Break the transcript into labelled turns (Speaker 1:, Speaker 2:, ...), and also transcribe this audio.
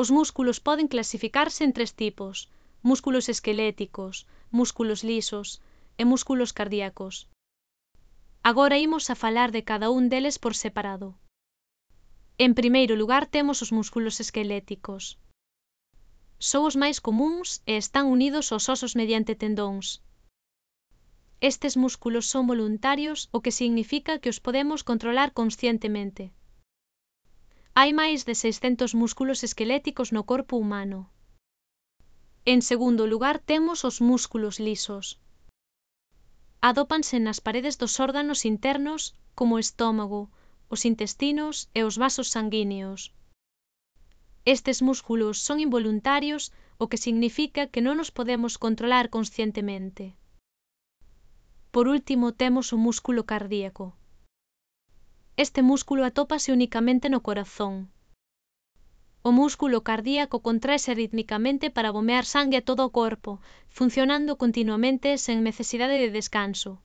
Speaker 1: Os músculos poden clasificarse en 3 tipos: músculos esqueléticos, músculos lisos e músculos cardíacos. Agora imos a falar de cada un deles por separado. En primeiro lugar temos os músculos esqueléticos. Son os máis comúns e están unidos aos osos mediante tendóns. Estes músculos son voluntarios, o que significa que os podemos controlar conscientemente. Hai máis de 600 músculos esqueléticos no corpo humano. En segundo lugar temos os músculos lisos. Adópanse nas paredes dos órganos internos como o estómago, os intestinos e os vasos sanguíneos. Estes músculos son involuntarios, o que significa que non os podemos controlar conscientemente. Por último temos o músculo cardíaco. Este músculo atópase unicamente no corazón. O músculo cardíaco contraese rítmicamente para bombear sangue a todo o corpo, funcionando continuamente sen necesidade de descanso.